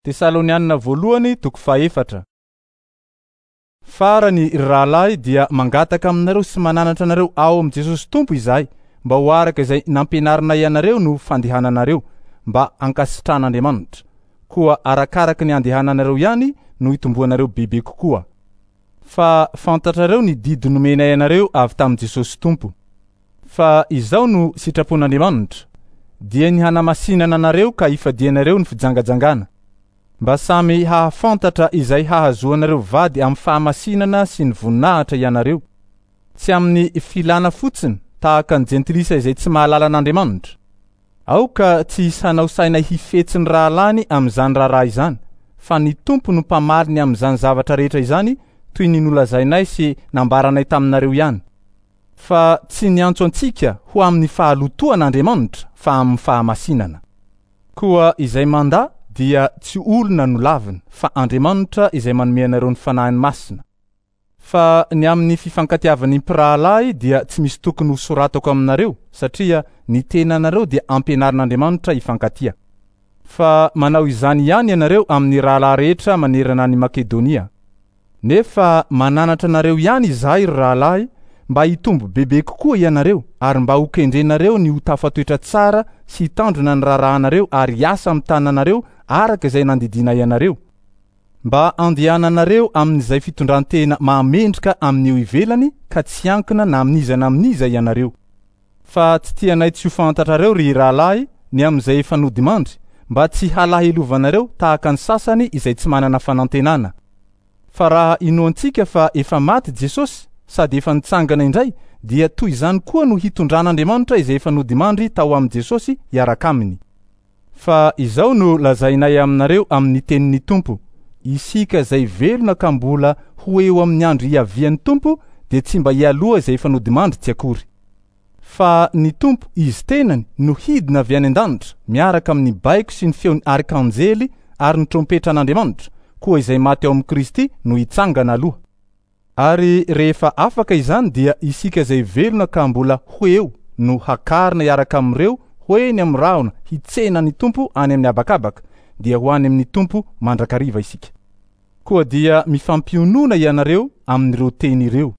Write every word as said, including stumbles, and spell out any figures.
Tesalonianina voalohany toko fahaefatra. Farany ry rahalahy dia mangataka aminareo sy mananatra anareo ao amin'i Jesosy Tompo izahay mba ho araka izay nampianarinay anareo no fandehananareo mba hankasitran'Andriamanitra. Koa arakaraka ny andehananareo ihany no hitomboanareo bebe kokoa. Fa fantatrareo ny didy nomenay anareo avy tamin'i Jesosy Tompo. Fa izao no sitrapon'Andriamanitra, dia ny hanamasinana anareo ka hifadianareo ny fijangajangana. Mba samy hahafantatra izay hahazoanareo vady amin'ny fahamasinana sy ny voninahitra ianareo. Tsy amin'ny filana fotsiny tahaka ny jentilisa izay tsy mahalala an'Andriamanitra. Aoka tsy hisy hanao saina hifetsy ny rahalahiny amin'izany raharaha izany, fa ny Tompo no mpamaly ny amin'izany zavatra rehetra izany toy ny nolazainay sy nambaranay taminareo ihany. Fa tsy niantso antsika ho amin'ny fahalotoana Andriamanitra fa amin'ny fahamasinana. Koa izay mandà dia tsy olona no laviny fa Andriamanitra izay manome anareo ny fanahiny masina. Fa ny amin'ny fifankatiavan'ny mpirahalahy dia tsy misy tokony ho soratako aminareo satria ny tenanareo dia ampianarin'Andriamanitra hifankatia. Fa manao izany ihany ianareo amin'ny rahalahy rehetra manerana an'i Makedonia. Nefa mananatra anareo ihany izahay ry rahalahy mba hitombo bebe kokoa ianareo ary mba ho kendrenareo ny ho tafatoetra tsara sy hitandrina ny raharahanareo ary hiasa amin'ny tananareo araka izay nandidiana ianareo. Mba andehananareo amin'izay fitondran-tena mahamendrika amin'io ivelany ka tsy ankina na amin'iza na amin'iza ianareo. Fa tsy tianay tsy ho fantatrareo ry rahalahy ny amin'izay efa nodimandry mba tsy halahelovanareo tahaka ny sasany izay tsy manana fanantenana. Fa raha inoantsika fa efa maty Jesosy sady efa nitsangana indray dia toy izany koa no hitondran'Andriamanitra izay efa nodimandry tao amin'i Jesosy hiaraka aminy. Fa izao no lazainay aminareo amin'ny tenin'ny Tompo: isika izay velona ka mbola ho eo amin'ny andro hiavian'ny Tompo dia tsy mba hialoha izay efa nodimandry tsy akory. Fa ny Tompo izy tenany no hidina avy any an-danitra miaraka amin'ny baiko sy ny feon'ny arkanjely ary ny trompetran'Andriamanitra, koa izay maty ao amin'i Kristy no hitsangana aloha. Ary rehefa afaka izany dia isika izay velona ka mbola ho eo no hakarina hiaraka amin'ireo ho eny amin'ny rahona hitsena ny Tompo any amin'ny habakabaka, dia ho any amin'ny Tompo mandrakariva isika. Koa dia mifampionona ianareo amin'ireo teny ireo.